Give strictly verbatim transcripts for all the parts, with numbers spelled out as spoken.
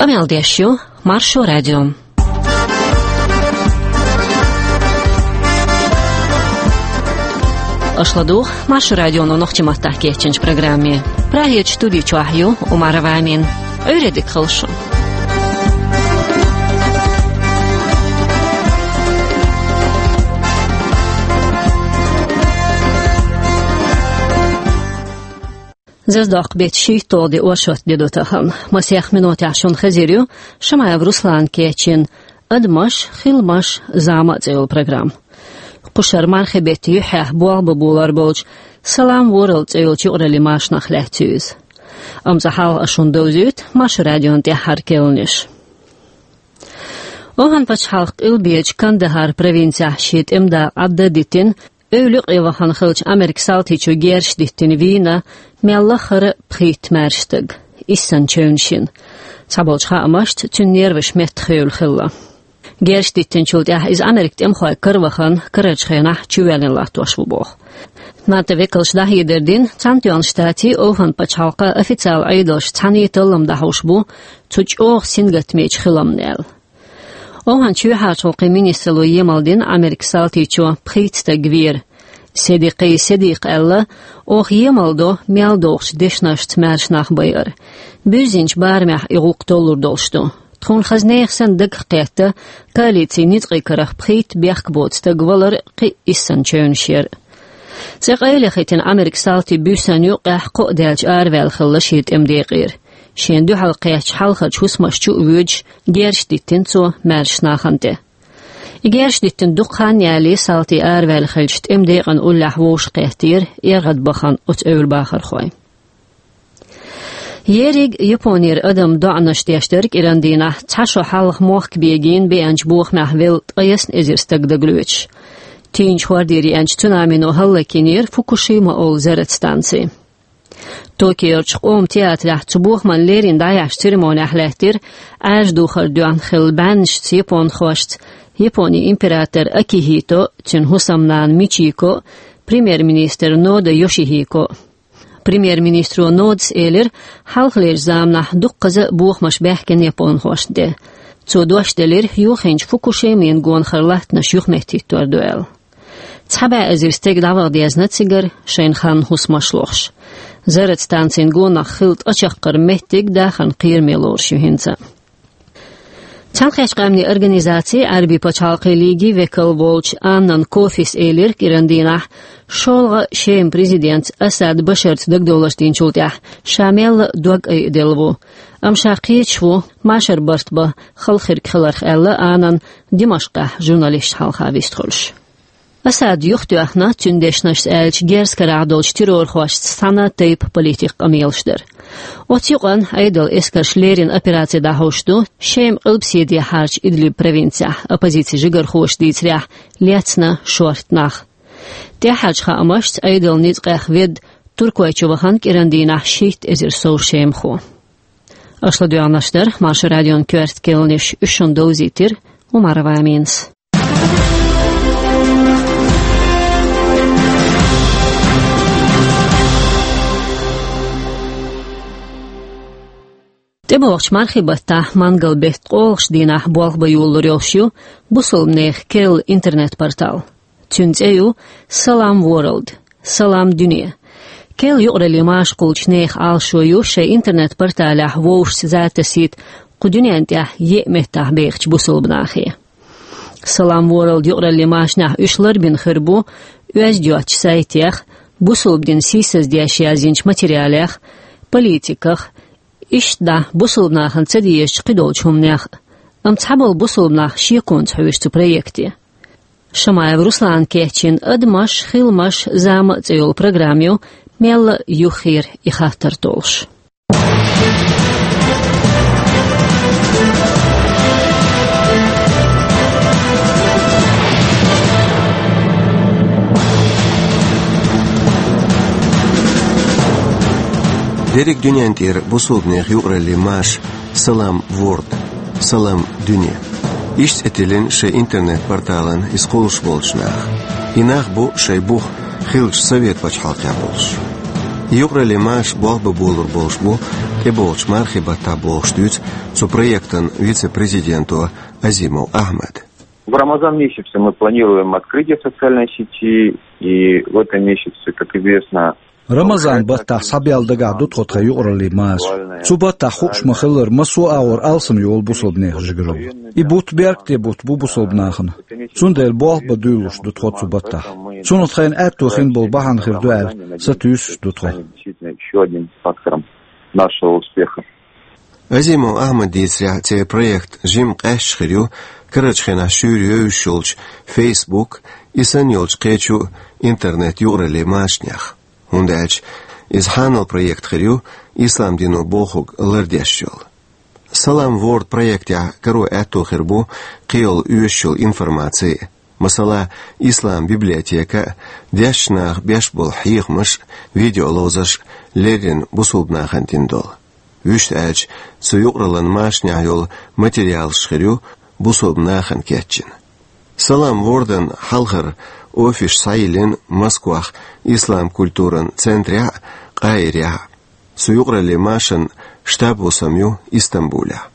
Къамел деш ю Маршо радио. Аша ладугӀу Маршо радионо нохчийн маттахь кечйинчу программе. Прагерчу студи чохь ю Умарова Амина. Ӏуьйре дика хуьлда шун. Зазадоккху беттан шийтталгӀа де, оршот де ду тахана. Масех минотехь шуна хезар ю Шамаев Руслана кечйина «Адамаш, хиламаш, зама» цӀе йолу программа. Кху шарахь мархин беттан юьххьехь болх бан болор болчу «Салам Ворлд» цӀе йолчу юкъараллин машанах лаьцна ю иза. Амма цкъа хьалха ас шуна довзуьйту Маршо радион тӀаьххьара керланаш. ОвхӀан-пачхьалкхан къилбечу Кандахар провинцехь шен тӀеман дакъа Ӏадда а дитина, эвла юкъа вахана хиллачу Америкин салтичо герзаш диттина вийна мел лахара пхийтта маьрша стаг, иссанна чевнаш йина. Цхьаболчу хаамашца, цуьнан нерваш меттахевлла хилла. Герзаш диттинчул тӀаьхьа иза Америкин тӀемахойн кара вахана, карарчу хенахь чувоьллина латтош ву боху. НАТО векалша дӀахьедар дина, Цхьаьнатоьхначу Штатийн а, ОвхӀан-пачхьалкхан а официалан Ӏедалш цхьаьна тӀе таллам дӀахьуш бу цу чӀогӀа сингаттамечу хиламна аьлла. ОвхӀан чоьхьарчу гӀуллакхийн министралло емал дина Америкин салтичо пхийтта стаг вер. Седикъи Седикъа аьлла: «Оха емал до мел догӀучу дешнашца маьрша нах байар. Буьззинчу барамехь и гӀуллакх толлур долуш ду. Тхуна хаза нехан санна дагах кхетта коалицин ницкъийн карах пхийтта бехк боцу стаг валар, кхин а иссанна чевнаш яр». ЦӀе къайлаяхийтина Америкин салтий буьйсанна юккъехь кхоъ даьлча араваьлла хилла шен тӀеман декъера. Шена дуьхьал кхаьчначу хьалхарчу хӀусамаш чу а воьдуш, герзаш диттина цо маьрша нахана тӀе. И герзаш диттина дукха хан ялале, салтий араваьлла хиллачу тӀеман декъан уллехь вовшахкхеттера эргӀадбахана оцу эвла бахархой. Ерриг Японера адам доӀанаш деш дара кӀиран дийнахь, цхьа шо хьалха мохк бегийна беанчу бохамехь велла ткъе ялх эзар стаг дагалоьцуш. Тийначу хӀордера еанчу цунамино хӀаллакйинера Фукушима олу зарратан станци. Токиорчу къоман театрехь цу бохаман леррина дӀаяьхьначу церемонехь лаьттира Ӏаьржа духар доьхна хилла бӀеннашца японхошца Японин император АкихӀито а, цуьнан хӀусамнана Мичико а, премьер-министр Нода Йошихико а. Премьер-министро Нодас элира, хьалхалерчу заманахь дуккхаза а бохамаш баьхкина японхошна тӀе. Цо дош делира, юххенчу Фукушимин гонахара латтанаш юхаметтахӀиттор ду аьлла. Цхьа бӀе эзар стеган дӀаваха дезна цигара, шайна ханна хӀусамаш лохуш. Зарратан станцин гонах хилла ткъа чаккхарма меттиг дахаран кхераме лоруш ю хӀинца. Цхьаьнакхеттачу Къаьмнийн Организацин, Ӏаьрбийн пачхьалкхийн лигин векал волчу Аннан Кофис элира кӀиран дийнахь, шолгӀа Шеман президентца Асад Башарца дагадовларш динчул тӀаьхьа ша мелла а дог айаделла ву, амма ша кхеташ ву машар барт бан хала хирг хиларх, аьлла Аннан Димашкъехь журналисташна хьалха вистхуьлуш. Асад юхатоьхна, цуьнан дешнашца аьлча, герз карахь долчу террорхошца цхьана а тайпа политикан къамелаш дар. Оцу юкъанна Ӏедалан эскарша леррина операци дӀахьуш ду Шеман къилбаседехьарчу Идлиб провинцехь, оппозицин жигархоша дийцарехь, лецна шортта нах. ТӀаьххьарчу хаамашца, Ӏедалан ницкъех ведда Туркойчу вахана кӀиран дийнахь шийтта эзар сов шемахо. Аша ладоьгӀнарш дара Маршо радион коьрта керланаш, уьш шуна довзийтира Умарова Аминас. ТӀебогӀучу мархин баттахь, мангал беттан ткъолгӀачу дийнахь болх бан йолалур йолуш ю бусалбанехан керла интернет-портал. Цуьнан цӀе ю Салам Ворлд, Салам Дуьне. Керла юкъараллин машакхуьлучу нехан Ӏалашо ю шайн интернет-порталехь вовшашца за тасийта кху дуьнен тӀехь еа меттахь бехачу бусалба нахе. Салам Ворлд юкъараллин машанехь уьш ларбина хир бу оьзда йоцучу сайтех, бусалба динан сийсаздеш язйинчу материалех, политиках, иштта дӀа бусалба нахана ца дезачу кхидолчу хӀуманех а. Амма цхьаболу бусалба нах шеконца хьоьжу цу проекте. Шамаев Руслана кечйина «Адамаш, хиламаш, зама» цӀе йолу программа ю мелла а юххера и хаттар толлуш. Дерриг дуьнен тӀера бусалбанехан юкъараллин маша «Салам Ворлд», «Салам Дуьне». Иштта цӀе тиллина шайн интернет-порталан иза кхуллуш болчу наха. И нах бу шайн бух хиллачу Совет пачхьалкхехь болуш. Юкъараллин маша болх бан болур болуш бу тӀеболчу мархи баттахь бохуш дуьйцу цу проектан вице-президенто Азимов Ахьмада. В Рамазан месяце мы планируем открытие социальной сети, и в этом месяце, как известно, Рамазан баттахь схьабелла дагахь ду тхо тхан юкъараллин машар. Цу баттахь хууш ма-хиллара, массо а агӀор алсам йолу бусалба нехан жигаралла. И бутт беркате бутт бу бусалба нахана. Цундела болх бан дуьйлалуш ду тхо цу баттахь. Цунах тхайна аьтто хин болу бахьана хир ду аьлла, сатуьйсуш ду тхо. Действительно, ещё одним фактором нашего успеха. Азимов Ахьмада дийцарехь, церан проект жимма къаьсташ хир ю карарчу хенахь шуьйра евзаш йолчу Facebook, и санна йолчу кхечу интернет-юкъараллин машанех, хӀунда аьлча иза хьанал проект хир ю ислам дино бохург лардеш йолу. Салам Ворд проектехь каро аьтто хир бу кхин йолу оьшуш йолу информаци, масала, ислам библиотека, дешначу наха беш болу хьехамаш, видеоловзарш, леррина бусалба нахана дина долу. Вуьшта аьлча, цу юкъараллин машанехь йолу материалаш хир ю бусалба нахана кечйина. Салам Вордан хьалхара офис схьайиллина Москвахь ислам культуран центрехь а, Къаирехь а. Цу юкъараллин машанан штаб-хӀусам ю Истамбулехь.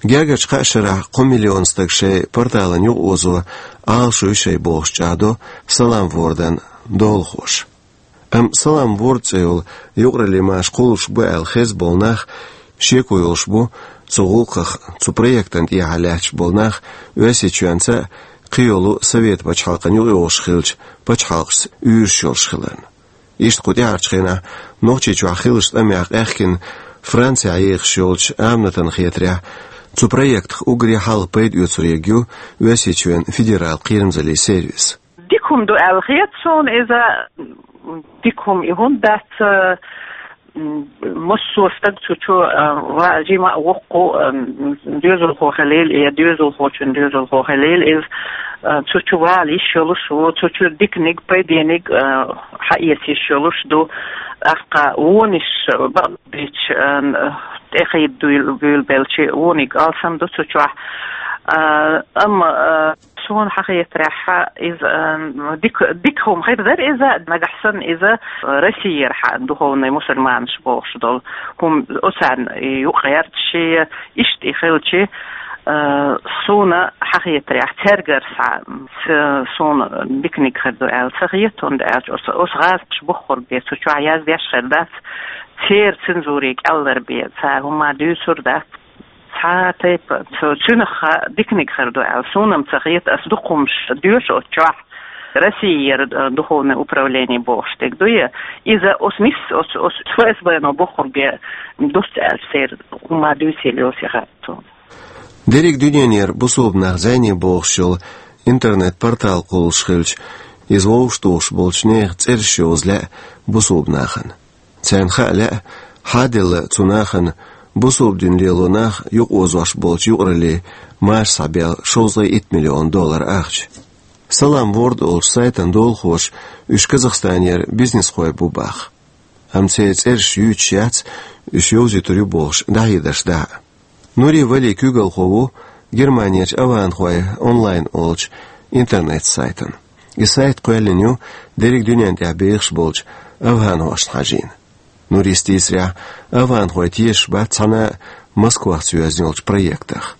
Гергарчу кхаа шарахь кхо миллион стаг шайн порталан юкъаозо Ӏалашо ю шайн бохуш чӀагӀдо Салам Вордан долахоша. Амма Салам Ворд цӀе йолу юкъараллин маша кхуллуш бу аьлла хезна болу нах шеко йолуш бу цу гӀуллакхах, цу проектан тӀехьа лаьтташ болу нах Оьрсийчоьнца а, кхин йолу Совет пачхьалкхан юкъайогӀуш хиллачу пачхьалкхашца уьйраш йолуш хиларна. Иштта кху тӀаьхьарчу хенахь Нохчийчохь хиллачу тӀамехь къаьхкина Францехь ехаш йолчу Аминатан хетарехь, цу проектах уггаре хьалха пайда оьцур ерг ю Оьрсийчоьнан федералан кхерамзаллин сервис. Дика хӀума ду аьлла хета суна иза, дика хӀума и хӀунда дац, м, массо а стаг цу чу, а, ва-, жима а воккху, а, м, доьзалхо хилийла, я доьзалхочун доьзалхо хилийла иза, а, цу чу вала йиш йолуш ву, цу чу диканиг, пайдениг, а, хьаэца йиш йолуш ду, тӀаккха вонаш бакъдерг, а, тӀехийда дуьйла-, буьйлабелча вониг алсам ду цу чохь. А, амма, а, Суна хьан хетарехь, иза, м, дика, дика хӀума хир дара иза, нагахь санна иза Россиера хьан духовный мусульманаш бохуш долу хӀума оцарна юкъа гӀерташ, иштта и хилча, а, суна хьан хетарехь, цаьргара схьа, ц-, суна диканиг хир ду аьлла ца хета, хӀунда аьлча оцу, оцу гӀазкхаша бохург бен цу чохь яздеш хир дац, церан цензуре кӀеллар бен цара хӀума дуьйцур дац. Цхьа тайпа, цу-, цуьнах диканиг хир ду аьлла, суна-м ца хета, ас дукха хӀумаш доьшу оцу чохь, Россиера, э, духовное управление бохуш дерг дуй, иза оцу нис-, оцу, оцу ФСБ-но бохург бен дуц аьлча, церан хӀума дуьйцийла йоцу яхара суна. Дерриг дуьненера бусулба нах зӀене бохуш йолу интернет-портал кхуллуш хилча, иза вовшах тухуш болчу нехан цӀераш йовза лаьа бусулба нахана. Царна хаа лаьа, хьан а делла цу нахана бусулба дин лело нах юкъаозош болчу юкъараллин маша схьабелла шовзткъе итт миллион доллар ахча. Салам Ворд олучу сайтан долахоша уьш Казахстанера бизнесхой бу баха. Амма церан цӀераш юьйцуш яц, уьш йовзуьйтур ю бохуш дӀахьедарш дахьа. Нури Вали куьйгалхо ву Германерчу «Аванхой онлайн» олучу интернет-сайтан. И сайт кхоьллина ю дерриг дуьнен тӀехь бехаш болчу аванхошна хьажийна. Нурис дийцарехь, аванхой тешаш бац цхьана а Москвахца йоьзна йолчу проектах.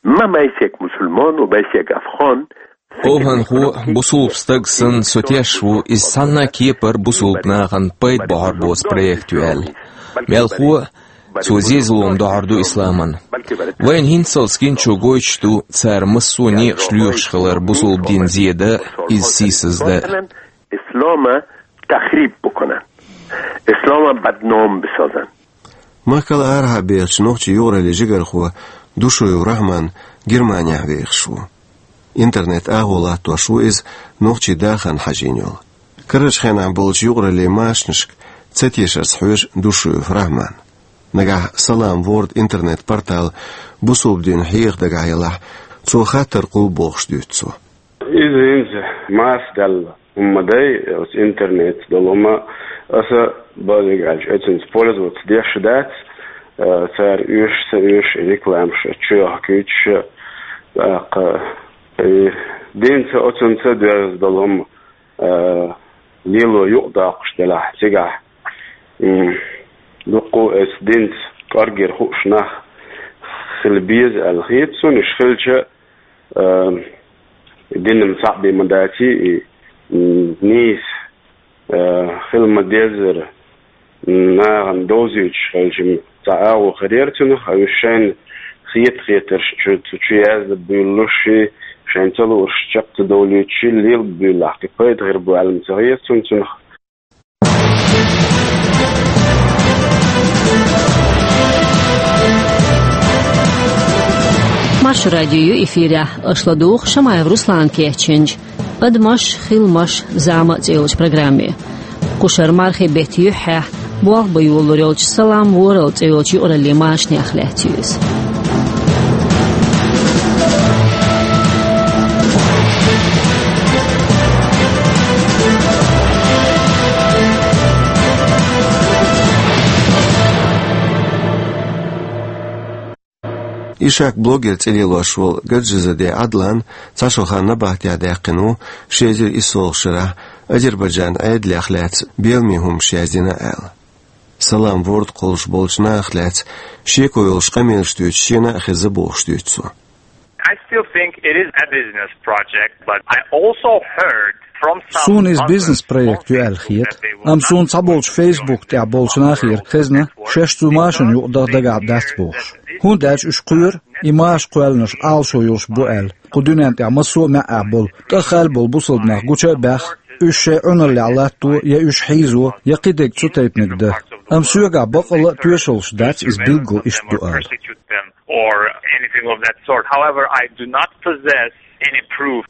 ما بيسك مسلمان وبيسك أفغان. Овханхо, бусулба стаг санна, со тешаш ву, иза цхьанна а кепара бусулба нахана пайда бохьур боцу проект ю аьлла. Мелхо а, цо зезалом дохьур ду исламан. Вайна хӀинццалц гинчо гойтуш ду, цара массо а некъаш лоьхуш хилар бусулба дин зе дан, иза сийсаздан. إسلام تخریب بکنن. إسلام بدنام بسازن. Махкал арахьа бехачу нохчийн юкъараллин жигархо Душуев Рахьман Германехь вехаш ву. Интернет агӀо латтош ву иза нохчийн дахарна хьажийна йолу. Карарчу хенахь болчу юкъараллин машанашка ца тешарца хьоьжу Душуев Рахьман. Нагахь Салам Ворд интернет-портал бусулба дин хьеха дагахь елахь, цо хаттар кхуллу бохуш дуьйцу цо. Иза хӀинца маса даьлла хӀума ма дай, оцу интернетца долу хӀума, аса базиг аьлча, оцунца пользоваться деш дац, а, цара оьшуш, ца оьшуш, рекламаш чуйохкуьйтуш, тӀаккха, э, динца оцунца доьзна долу хӀума, а, лело юкъадоккхуш делахь, цигахь, м, дуккха а оцу динца кӀоргера хууш нах хила беза аьлла хета цунна, уьш хилча, а, дин-м цхьаъ бен ма даций, и, м, нийса, а, хила ма-деззара, нахана довзуьйтуш хилча-м цхьа агӀо хир яра цунах, а уьш шайна хета-хетарш чу, цу чу яздан буьйлалуш, шайна ца луурш чекх ца довлуьйтуш, лелаб буьйлалахь, кхин пайда хир бу аьлла-м ца хета цунна цунах. Маршо радио ю эфирехь, аша ладугӀу Шамаев Руслана кечйинчу «Адамаш, хиламаш, зама» цӀе йолчу программе. Кху шарахь мархин беттан юьххьехь болх бан йолалур йолчу «Салам ворхӀалла» цӀе йолчу юкъараллин машанех лаьцна ю иза. Ишак-блогер цӀе лелош волу Гаджизаде Ӏадлан цхьа шо хан набахтехь даьккхина ву ши эзар иссолгӀачу шарахь Азербайджан Ӏедалех лаьцна беламе хӀуманаш яздина аьлла. «Салам Ворлд» кхуллуш болчу нахах лаьцна шеко йолуш къамелаш дуьйцуш шена а хезна бохуш дуьйцу цо. I still think it is a business project, but I also heard from some... Суна иза бизнес-проект ю аьлла хета, амма суна цхьаболчу Facebook тӀехь болчу нахера хезна, шаьш цу машина юкъа даха дагахь дац бохуш. ХӀунда аьлча уьш кхоьру, и маша кхоьллинарш Ӏалашо йолуш бу аьлла, кху дуьнен тӀехь массо а маьӀӀехь болу, тӀаххаьлла болу бусалба нах гуча а баьхна, уьш шайн Ӏуналлехь латто я уьш хьийзо, я кхидерг цу тайпаниг дан. Амма соьгахь баккъалла а тоьшаллаш дац иза билггал иштта ду ала. Or anything of that sort. However, I do not possess any proof.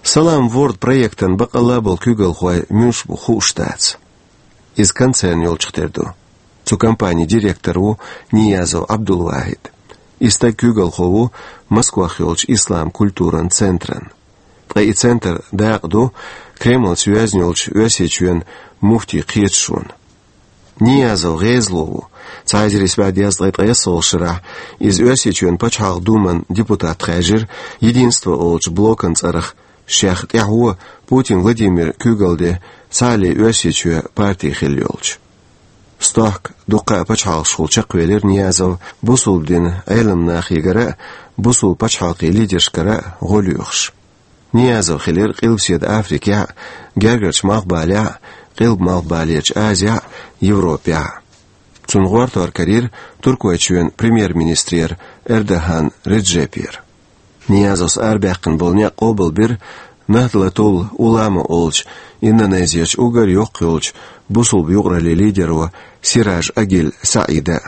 «Салам Ворлд» проектан баккъалла а болу куьйгалхой муьлш бу хууш дац. Иза концерн йолчух тера ду. Цу компанин директор ву Ниязов Ӏабдулвахьид. И стаг куьйгалхо ву Москвахь йолчу ислам культуран центран. Ткъа и центр дакъа ду Кремлаца йоьзна йолчу Оьрсийчоьнан муфтийн кхеташонна. Ниязов гӀезало ву. Цхьа эзар исс бӀе дезткъе ткъайоьсналгӀачу шарахь иза Оьрсийчоьнан Пачхьалкхан Думан депутат хаьржира «Единство» олучу блокан цӀарах, шех тӀаьхьо Путин Владимир куьйгалла де «Сахьле Оьрсийчоь» парти хилла йолчу. Стохка дуккха а пачхьалкхашкахула чекхвелира Ниязов, бусулба динан Ӏеламнахегара а, бусулба пачхьалкхийн лидершкара а гӀо лоьхуш. Ниязов хилира Къилбаседа Африкехь а, Гергарчу Малхбалехь а, Къилба-Малхбалерчу Азехь а, Европехь а. Цунна гӀортор карийра Туркойчоьнан премьер-министрера Эрдоган Реджепера. Ниязовс арабаьккхина болу некъ къобалбира Нахдлатул Улама олучу Индонезерчу уггар йоккха йолчу бусулба юкъараллин лидеро Сираж Агиль Саида.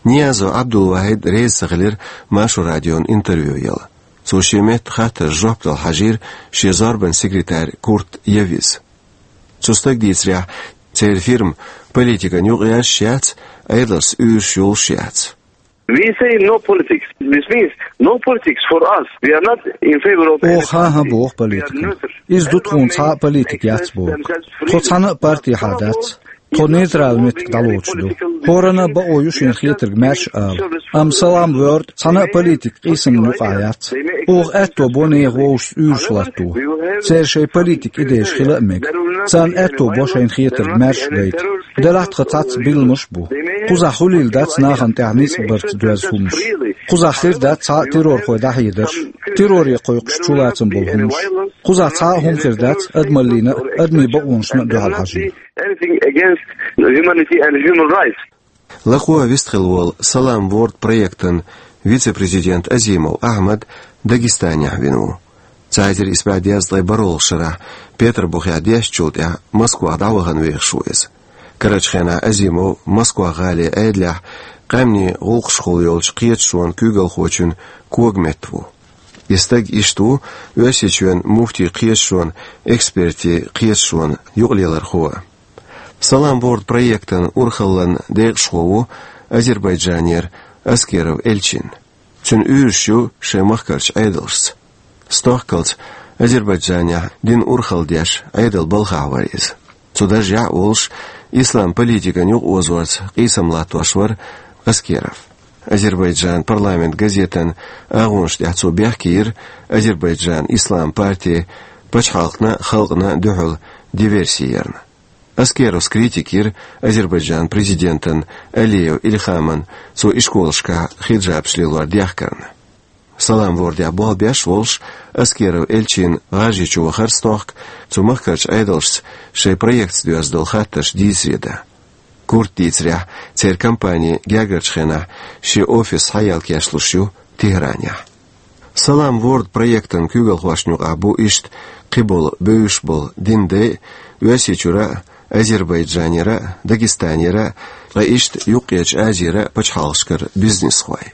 Ниязов Ӏабдулвахьид реза ца хилира Маршо радион интервью яла. Цо шен метта хаттарна жоп дала хьажийра шен зорбанан секретарь Курт Явис. Цу стага дийцарехь, церан фирма политикана юкъаерзаш яц, Ӏедалшца уьйраш йолуш яц. We say no politics. This means no politics for us. We are not in favor of any party. Оха хӀан боху политикана. Иза ду тхуна, цхьа а политика яц боху. Тхо цхьана а партехьа дац. Тхо нейтрал меттиг дӀалоцуш ду. ХӀоранна а бакъо ю шена хетарг маьрша ала. Амма «Салам Ворлд» цхьана а политик къийсамна юкъахь яц. Оха аьтто бо нехан вовшашца уьйраш латто. Церан шайн политик идеяш хила а мега. Царна аьтто бо шайна хетарг маьрша гайта. Делахь тхан цхьацца билламаш а бу. Кхузахь хуьлийла дац нахана тӀехь ницкъ барца доьзна хӀуманаш. Кхузахь хир дац цхьа а террорхой дӀахьедарш. Терроре кхойкхуш чулацам болу хӀуманаш. Кхузахь цхьа а хӀума хир дац адамаллина а, адамийн бакъонашна а дуьхьал хьажийна. Anything against humanity and human rights. Лакхо вистхилла волу «Салам Ворлд» проектан вице-президент Азимов Ахьмад Дагестанехь вина ву. Цхьа эзар исс бӀе дезткъе бархӀалгӀачу шарахь Петарбухехь дешначул тӀаьхьа Москвахь дӀавахана вехаш ву иза. Карарчу хенахь Азимов Москва-гӀалин Ӏедалехь къаьмнийн гӀуллакхашкахула йолчу кхеташонан куьйгалхочун когаметта ву. И стаг иштта ву Оьрсийчоьнан муфтийн кхеташонан экспертийн кхеташонан юкъалелархо. «Салам Ворлд» проектан урхаллин декъашхо ву Азербайджанера Аскеров Элчин. Цуьнан уьйраш ю шайн махкарчу Ӏедалшца. Стохкалц Азербайджанехь динан урхалла деш Ӏедалан балхахь вара иза. Цу даржехь а волуш, ислам политикан юкъаозорца къийсам латтош вара Аскеров. Азербайджанан «Парламент» газетан агӀонаш тӀехь цо бехке йира Азербайджанан ислам парти пачхьалкхана а, халкъана а дуьхьал диверси ярна. Аскеровс критика йира Азербайджан президентан Алиев Ильхаман цо ишколашкахь хиджабаш лелор дехкарна. Салам-Вордехь болх беш волуш, Аскеров Эльчин ГӀажарийчу вахар стохка, цу махкарчу Ӏедалшца шайн проектца доьзна долу хаттарш дийцаре дан. Курт дийцарехь, церан компани гергарчу хенахь шен офис схьаелла кечлуш ю Тегьранехь. Салам-Ворд проектан куьйгалхошна юкъахь бу иштта кхиболу бевзаш болу динан дай а, Оьрсийчуьра а, Азербайджанера а, Дагестанера а, ткъа иштта Юккъерчу Азера а пачхьалкхашкара бизнесхой.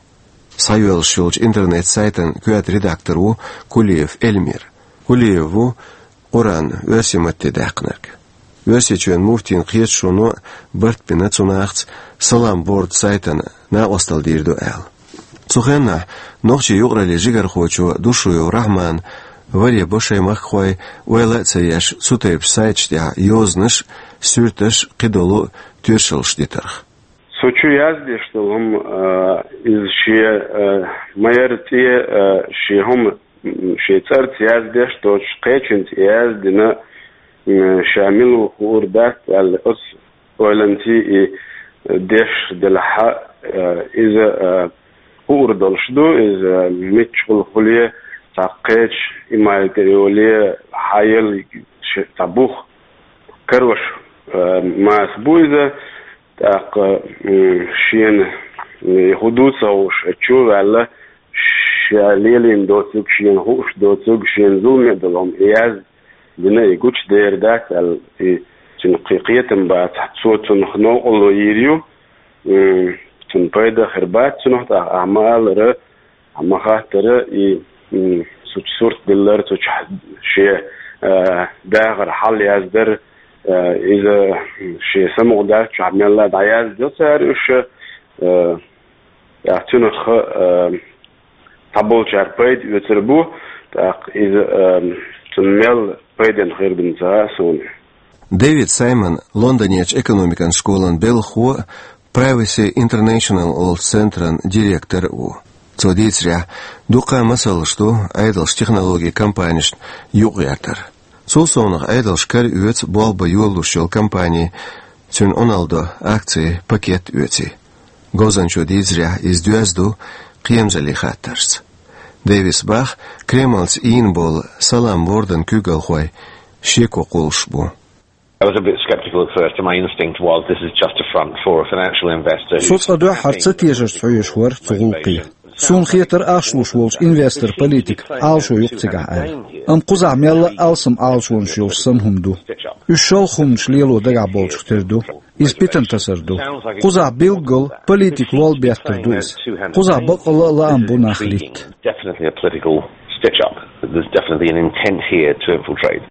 Схьайоьллуш йолчу интернет-сайтан коьрта редактор ву Кулиев Эльмир. Кулиев ву Къуръан оьрсийн матте даьккхинарг. Оьрсийчоьнан муфтийн кхеташоно барт бина цу нахаца Салам-Ворд сайтана накъосталла дийр ду аьлла. Цу хенахь нохчийн юкъараллин жигархочо Душуев Рахьмана варе бо шайн махкахой, ойла а ца еш, цу тайпа сайташ тӀехь йозанаш а, суьрташ а, кхидолу тоьшаллаш дитарх. Со чу яздеш долу хӀума, а, иза шен, а, ма-ярра цӀе, а, шен хӀума, м, шен цӀарца яздеш доцуш, кхечуьнца яздина, м, ша мила ву хуур дац аьлла, оцу ойланций и деш делахь, а, иза, а, хуур долуш ду, иза миччахула хуьле, цхьа кхечу иман тӀе йоле, хьан елла ш-, цхьа бух карош, а, маса бу иза. ТӀаккха, м, шена, м, хӀун ду ца хууш, чу а ваьлла, ша лелийна доцург, шена хууш доцург, шена зуламе а долу хӀума и яздина, и гучудер дац аьлла, и цуьнан кхе-, кхетам бацахь, цо цунах новкъарло йийр ю, м, цунна пайда хир бац цунах, тӀаккха ахьа ма-аллара, ахьа ма-хаттара, и, м, цу чу сурт диллар, цу чу шен, а, дахар хьал яздар, а, иза шен самукъадаьллачохь мелла а дӀаяздо цара уьш, а, тӀаккха цуьнах, а, цхьаболчара пайда оьцур бу, тӀаккха иза, а, цунна мел пайденна хир ду ца хаьа суна. Дэвид Саймон Лондонерчу экономикан школан белхахо а, Privacy International олучу центран директор а ву. Цо дийцарехь, дуккха а масалш ду Ӏедалша технологийн компанешна юкъагӀертар. Цул совнаха Ӏедалша кара оьцу болх бан йолалуш йолу компани, цуьнан Ӏуналла до акцийн пакет оьций. Говзанчо дийцарехь, иза доьзна ду кхерамзаллин хаттаршца. Дэвиса боху, Кремлца ийна болу Салам-Вордан куьйгалхой шеко кхуллуш бу. I was a bit skeptical at first, and my instinct was, this is just a front for a financial investor who's... Со цкъа дуьххьара ца тешарца хьоьжуш вара цу гӀуллакхе. Суна хетара ахча луш волчу инвестор-политик Ӏалашо ю-кх цигахь аьлла. Амма кхузахь мелла а алсам Ӏалашонаш йолуш санна хӀума ду. Уьш шолгӀа хӀуманаш лело дагахь болчух тера ду. Иза питана тасар ду. Кхузахь билггал политик лол беттар ду иза. Кхузахь баккъалла а лаам бу нах литта. Definitely a political stitch-up. There's definitely an intent here to infiltrate.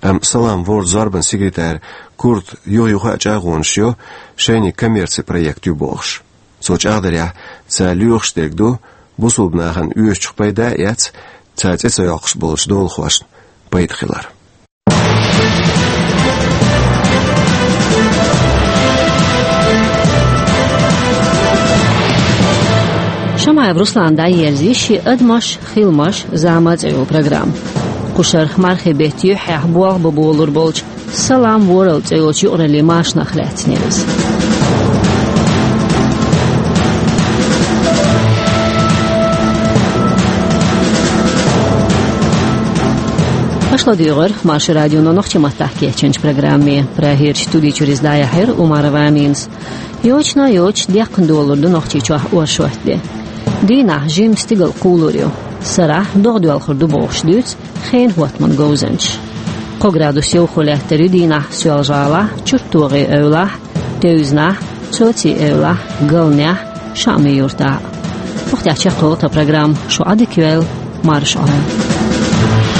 Амма Салам-Вордан зорбанан секретарь Курта юха-юха а чӀагӀонаш йо, шайниг коммерцин проект ю бохуш. Цо чӀагӀдарехь, цара лоьхуш дерг ду, бусулба нахана оьшучух пайда а эцна, цара цӀе ца йоккхуш болчу долахошна пайда хилар. Шамаев Руслана дӀаерзийша шен «Адамаш, хиламаш, зама» цӀе йолу программа. Кху шарахь мархийн беттан юьххьехь болх бан болур болчу «Салам-Ворд» цӀе йолчу юкъараллин машанах лаьцна яра иза. Аша ладуьйгӀира Маршо радионо нохчийн маттахь кечйинчу программе. Прагерчу студи чуьра иза дӀаяьхьира Умарова Аминас. Йочана а йоцуш, деккхана долур ду Нохчийчохь оршот де. Дийнахь жимма стигала кхулур ю. Сарахь догӀа доьлхур ду бохуш дуьйцу хенан хӀоттаман говзанчаша. Кхо градус йовхо лаьттар ю дийнахь Соьлжа-ГӀалахь, ЧурттогӀийн эвлахь, Тевзанахь, Цоцин эвлахь, Галнехь, ШаӀми-Юртахь. Юха тӀехь чекхйолу тхан программа, шу Ӏадика йойла, марша Ӏойла.